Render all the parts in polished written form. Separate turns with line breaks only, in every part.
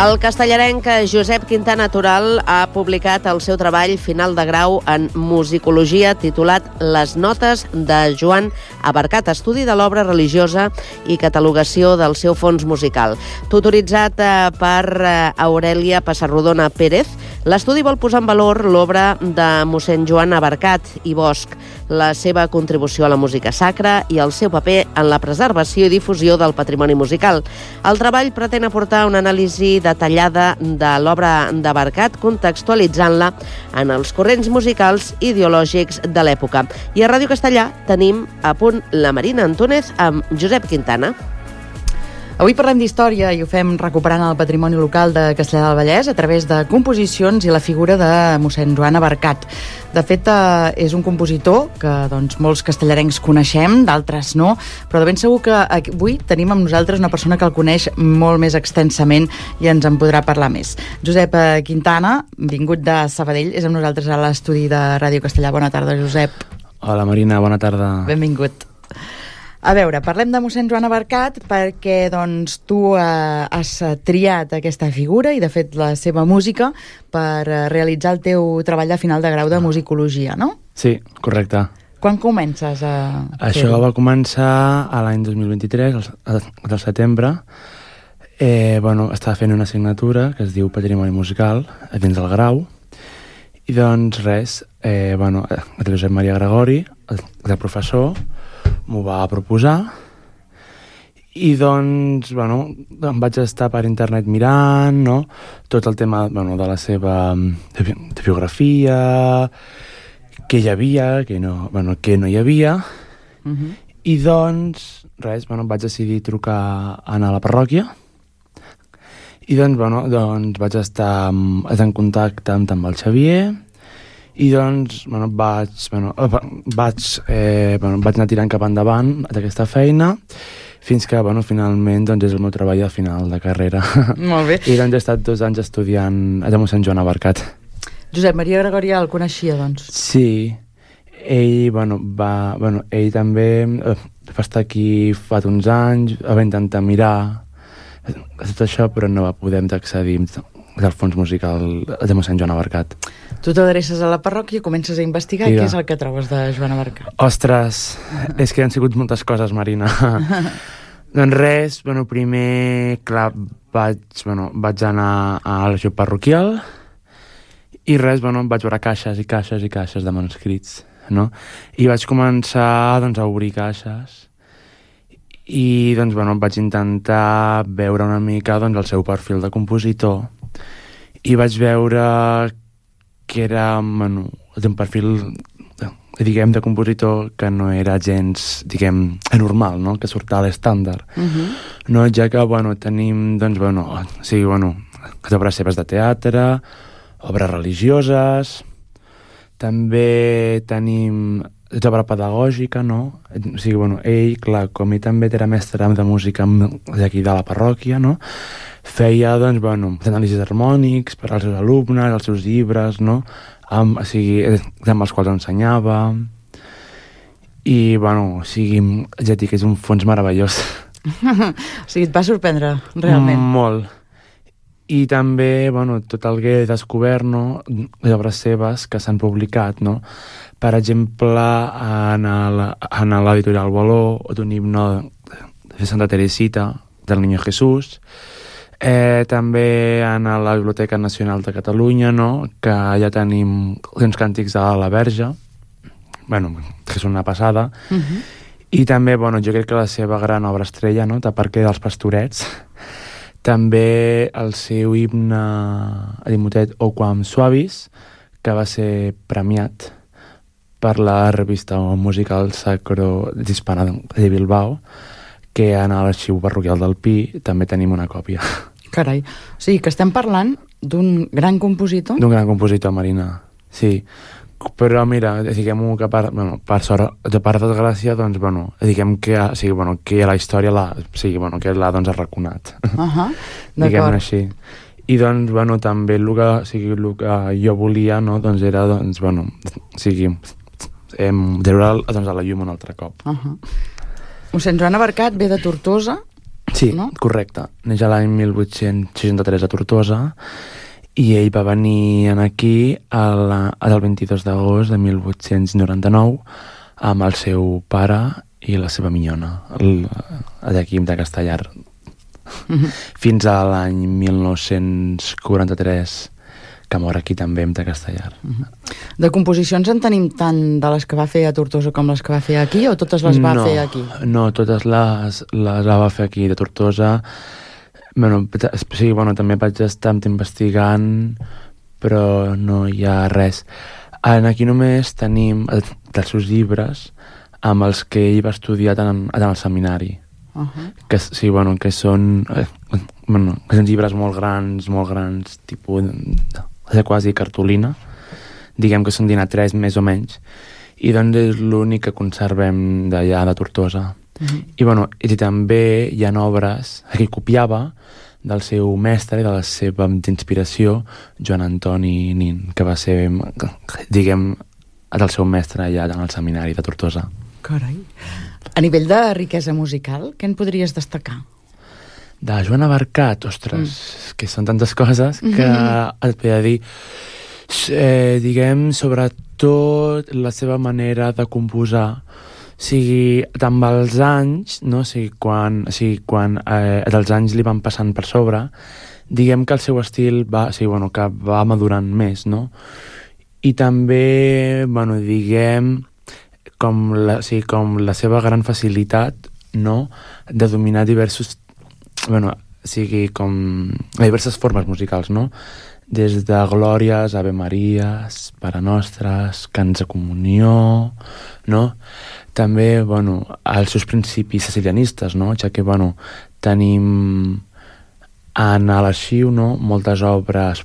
El castellarenc Josep Quintana Toral ha publicat el seu treball final de grau en musicologia titulat Les notes de Joan Abarcat, estudi de l'obra religiosa i catalogació del seu fons musical. Tutoritzat per Aurèlia Passarrodona Pérez, l'estudi vol posar en valor l'obra de mossèn Joan Abarcat i Bosch, la seva contribució a la música sacra i el seu paper en la preservació i difusió del patrimoni musical. El treball pretén aportar una anàlisi detallada de l'obra d'Abarcat, contextualitzant-la en els corrents musicals ideològics de l'època. I a Ràdio Castellà tenim a punt la Marina Antúnez amb Josep Quintana.
Avui parlem d'història i ho fem recuperant el patrimoni local de Castellar del Vallès a través de composicions i la figura de mossèn Joan Abarcat. De fet, és un compositor que molts castellarencs coneixem, d'altres no, però de ben segur que avui tenim amb nosaltres una persona que el coneix molt més extensament i ens en podrà parlar més. Josep Quintana, vingut de Sabadell, és amb nosaltres a l'estudi de Ràdio Castellà. Bona tarda, Josep.
Hola, Marina, bona tarda.
Benvingut. A veure, parlem de mossèn Joan Abarcat perquè tu has triat aquesta figura i, de fet, la seva música per realitzar el teu treball de final de grau de musicologia, no?
Sí, correcte.
Quan comences a
Això va començar a l'any 2023, al setembre. Estava fent una assignatura que es diu Patrimoni Musical dins del grau i doncs res, el Josep Maria Gregori, el professor, m'ho va proposar i doncs, em vaig estar per internet mirant, no?, tot el tema, de la seva biografia, què hi havia, què no hi havia, i doncs, res, vaig decidir anar a la parròquia i doncs vaig estar en contacte amb el Xavier i doncs vaig anar tirant cap endavant d'aquesta feina fins que finalment és el meu treball de final de carrera.
Molt bé.
I doncs he estat 2 anys estudiant a mossèn Joan Abarcat.
Josep Maria Gregori el coneixia, doncs?
Sí, ell ell també va estar aquí fa uns anys, va intentar mirar tot això, però no va poder accedir al fons musical de mossèn Joan Abarcat.
Tu t'adreces a la parròquia, comences a investigar i què és el que trobes de Joan Abarcat?
Ostres, és que han sigut moltes coses, Marina. Doncs res, primer, clar, vaig anar a l'arxiu parroquial i res, vaig veure caixes i caixes i caixes de manuscrits, no? I vaig començar a obrir caixes i vaig intentar veure una mica el seu perfil de compositor i vaig veure que era un perfil, de compositor que no era gens, anormal, no?, que surt a l'estàndard. No, ja que, tenim, obres seves de teatre, obres religioses, també tenim obra pedagògica, no? O sigui, ell, clar, com ell també era mestre de música d'aquí de la parròquia, no?, feia, anàlisis harmònics per als seus alumnes, els seus llibres, no?, amb els quals ensenyava. I, ja dic, és un fons meravellós.
O sigui, et va sorprendre, realment.
Molt. I també, tot el que he descobert, no?, les obres seves que s'han publicat, no?, per exemple, en l'editorial Boló, d'un himne de Santa Teresita, del Niño Jesús, també en la Biblioteca Nacional de Catalunya, no?, que ja tenim uns càntics de la Verge, que és una passada, i també, jo crec que la seva gran obra estrella, no?, de Parque dels Pastorets, també el seu himne Edimotet o Quam Suavis, que va ser premiat per la revista musical Sacro d'Hispana de Bilbao, que en l'arxiu parroquial del Pi també tenim una còpia.
Carai, o sigui que estem parlant d'un gran compositor?
D'un gran compositor, Marina, sí. Però mira, diguem-ho que per sort, de part de desgràcia, diguem que la història que l'ha arraconat. Diguem-ne així. I també el que jo volia, no, era treure a la llum un altre cop.
Mossèn Joan Abarcat ve de Tortosa
Sí,
no?
correcte. Neix l'any 1863 a Tortosa i ell va venir aquí el 22 d'agost de 1899 amb el seu pare i la seva minyona, d'aquí de Castellar. Fins a l'any 1943, que mor aquí també de Castellar.
De composicions en tenim tant de les que va fer a Tortosa com les que va fer aquí, o totes les va fer aquí?
No, totes les va fer aquí de Tortosa. Sí, també vaig estar investigant, però no hi ha res. Aquí només tenim dels seus llibres amb els que ell va estudiar en el seminari. Que són llibres molt grans, tipus de quasi cartolina, diguem que són d'Ina3 més o menys, i doncs és l'únic que conservem d'allà de Tortosa. I també hi ha obres que copiava del seu mestre i de la seva inspiració, Joan Antoni Nin, que va ser, diguem, del seu mestre allà en el seminari de Tortosa.
Carai. A nivell de riquesa musical, què en podries destacar?
De Joan Abarcat, ostres, que són tantes coses que et podria dir, diguem, sobretot la seva manera de composar, amb els anys, no? Quan els anys li van passant per sobre, diguem que el seu estil que va madurant més, no? I també, diguem, com la seva gran facilitat, no?, de dominar diverses formes musicals, no? Des de glòries, Ave Maries, Pare Nostres, cants de comunió, no? També, els seus principis sicilianistes, no? Ja que, tenim en l'arxiu, no?, moltes obres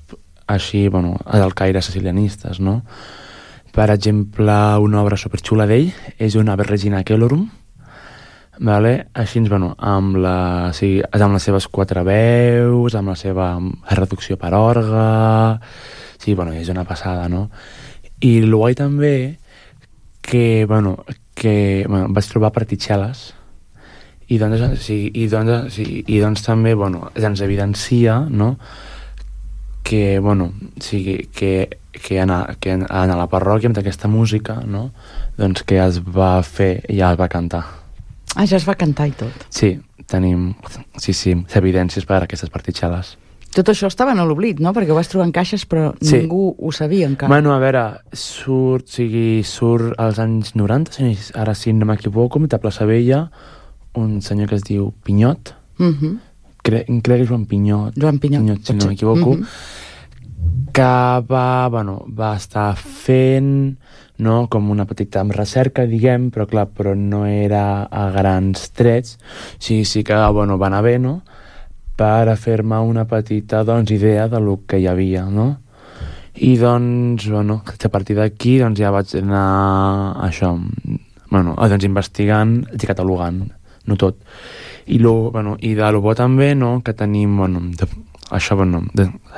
així, del caire sicilianistes, no? Per exemple, una obra superxula d'ell és una Ave Regina Caelorum, així, amb les seves 4 veus, amb la seva reducció per orgue, és una passada, no? I el guai també que vaig trobar particel·les i doncs també ens evidencia, no?, que en la parròquia amb aquesta música, no?, doncs que es va fer i ja es va cantar.
Ja es va cantar i tot.
Sí, tenim evidències per a aquestes particel·les.
Tot això estava en l'oblit, no? Perquè ho vas trobar en caixes, però ningú ho sabia encara.
A veure, surt als anys 90, ara si no m'equivoco, a Plaça Vella, un senyor que es diu Pinyot, crec que és Joan Pinyot, si no m'equivoco, que va estar fent, no?, com una petita recerca, diguem, però no era a grans trets. Sí que va anar bé, no?, per a fer-me una petita, idea de lo que hi havia, no? I doncs, a partir d'aquí ja vaig anar investigant i catalogant, no tot. I de lo bo també, no?, que tenim,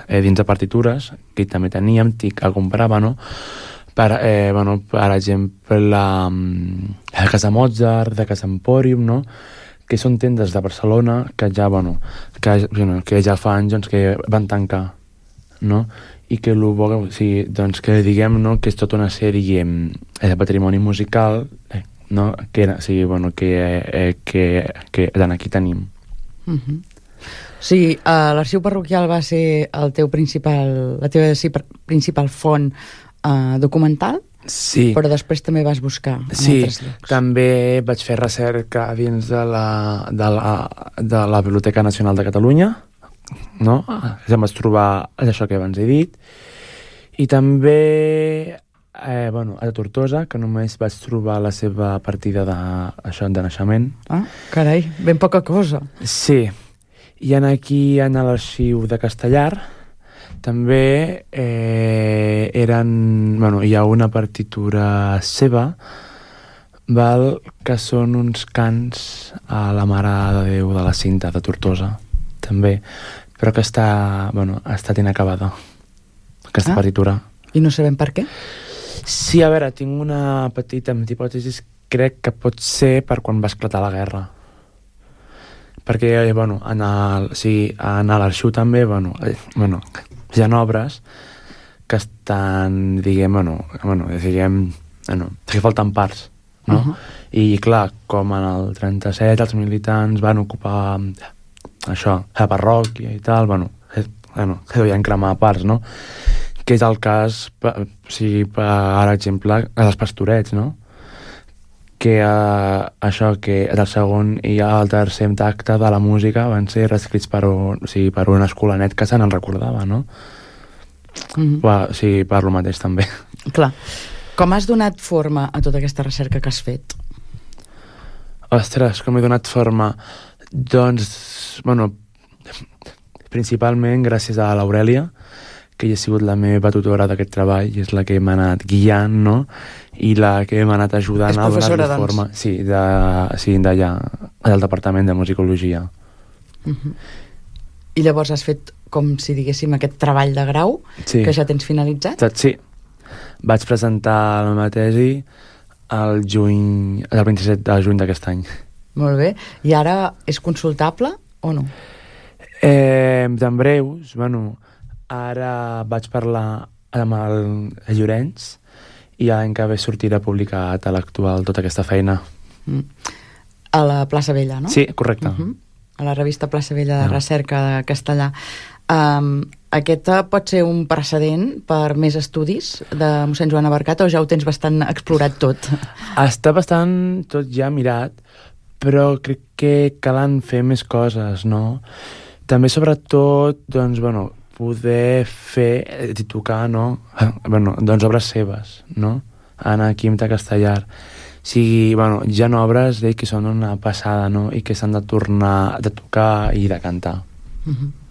dins de partitures, que també teníem, que comprava, no?, per exemple, la Casa Mozart, de Casa Empòrium, no?, que són tendes de Barcelona que ja fa anys que van tancar, no? I que que diguem, no?, que és tota una sèrie de patrimoni musical, no?, que aquí tenim.
Sí, l'arxiu parroquial va ser la teva principal font documental?
Sí.
Però després també vas buscar en altres llocs.
Sí, també vaig fer recerca dins de la Biblioteca Nacional de Catalunya, no? Ja em vaig trobar això que abans he dit. I també a Tortosa, que només vaig trobar la seva partida de naixement.
Ah, carai, ben poca cosa.
Sí. I aquí, en l'arxiu de Castellar, també hi ha una partitura seva, que són uns cants a la Mare de Déu de la Cinta de Tortosa, també, però que està inacabada, aquesta partitura.
I no sabem per què?
Sí, a veure, tinc una petita hipòtesi, crec que pot ser per quan va esclatar la guerra. perquè, bueno, en l'arxiu també, bueno, hi ha obres que estan, que falten parts, no? I, clar, com en el 37 els militants van ocupar això, la parròquia i tal, que devien cremar parts, no? Que és el cas, per exemple, dels Pastorets, no? Que això, que el segon i el tercer acte de la música van ser reescrits per un escolanet que se n'en recordava, no? Per lo mateix també.
Clar. Com has donat forma a tota aquesta recerca que has fet?
Ostres, com he donat forma? Doncs, principalment gràcies a l'Aurèlia, que hi ha sigut la meva tutora d'aquest treball, i és la que m'ha anat guiant, no? I la que m'ha anat ajudant a donar-li forma. Sí, d'allà, del Departament de Musicologia.
I llavors has fet, com si diguéssim, aquest treball de grau, que ja tens finalitzat?
Sí. Vaig presentar la meva tesi el 27 de juny d'aquest any.
Molt bé. I ara és consultable o no?
En breus, ara vaig parlar amb el Llorenç i l'any que ve sortirà publicat a l'actual tota aquesta feina.
A la Plaça Vella, no?
Sí, correcte.
A la revista Plaça Vella de Recerca de Castellà. Aquest pot ser un precedent per més estudis de mossèn Joan Abarcat, o ja ho tens bastant explorat tot?
Està bastant tot ja mirat, però crec que calen fer més coses, no? També, sobretot, poder fer i tocar, no? Obres seves, no? Aquí de Castellar. Hi ha obres d'ell que són una passada, no? I que s'han de tornar de tocar i de cantar.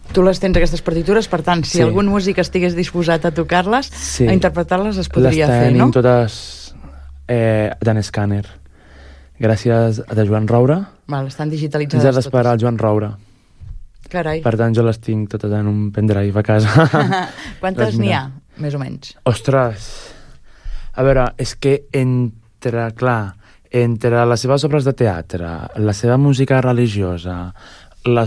Tu les tens, aquestes partitures, per tant, si algun músic estigués disposat a tocar-les, a interpretar-les, es podria fer, no?
Les tenim totes d'en escàner. Gràcies a Joan Roura.
Estan digitalitzades totes.
Ens ha d'esperar el Joan Roura.
Carai.
Per tant, jo les tinc totes en un pendrive a casa.
Quantes n'hi ha, més o menys?
Ostres! A veure, és que entre les seves obres de teatre, la seva música religiosa, de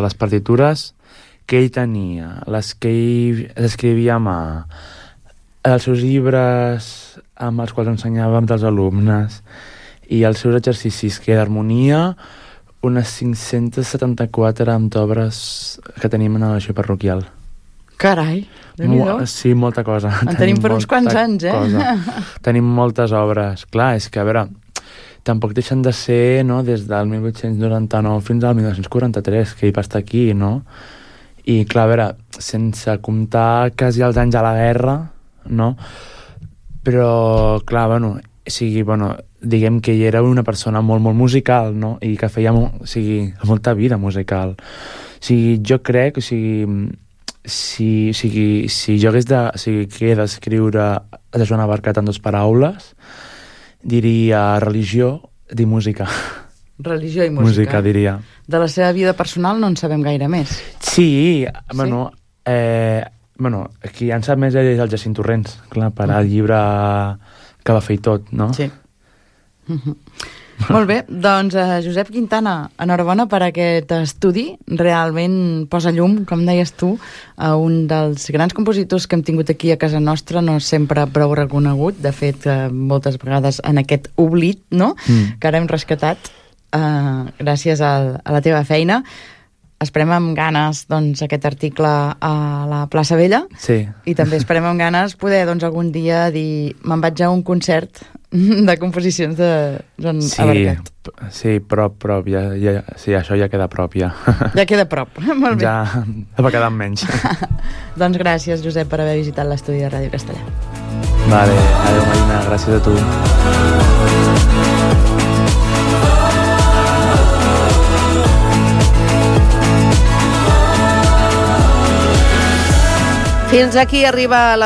les partitures que ell tenia, les que ell escrivia a mà, els seus llibres amb els quals ensenyàvem dels alumnes i els seus exercicis d'harmonia, unes 574 obres que tenim en l'arxiu parroquial.
Carai, déu-n'hi-do.
Sí, molta cosa.
En tenim per uns quants anys,
Tenim moltes obres. Clar, és que, a veure, tampoc deixen de ser, no?, des del 1899 fins al 1943, que ell va estar aquí, no? I, clar, a veure, sense comptar quasi els anys de la guerra, no? Però, clar, diguem que ell era una persona molt, molt musical, no? I que feia molta vida musical. Jo crec, si jo hagués d'escriure de Joan Abarcat en 2 paraules, diria religió i música.
Religió i música.
Música, diria.
De la seva vida personal no en sabem gaire més.
Sí, qui en sap més és el Jacint Torrents, clar, per al llibre que va fer i tot, no?
Sí. Molt bé, doncs Josep Quintana, enhorabona per aquest estudi. Realment posa llum, com deies tu, a un dels grans compositors que hem tingut aquí a casa nostra, no sempre prou reconegut, de fet moltes vegades en aquest oblit, no? Que ara hem rescatat gràcies a la teva feina. Esperem amb ganes aquest article a la Plaça Vella.
Sí. I
també esperem amb ganes poder algun dia dir me'n vaig a un concert de composicions de Joan Abarcat.
Sí, prop. Sí, això ja queda prop, ja.
Ja queda prop, molt bé.
Ja va quedar menys.
Doncs gràcies, Josep, per haver visitat l'estudi de Ràdio Castellà.
Vale, adéu, Marina, gràcies a tu.
Fins aquí arriba la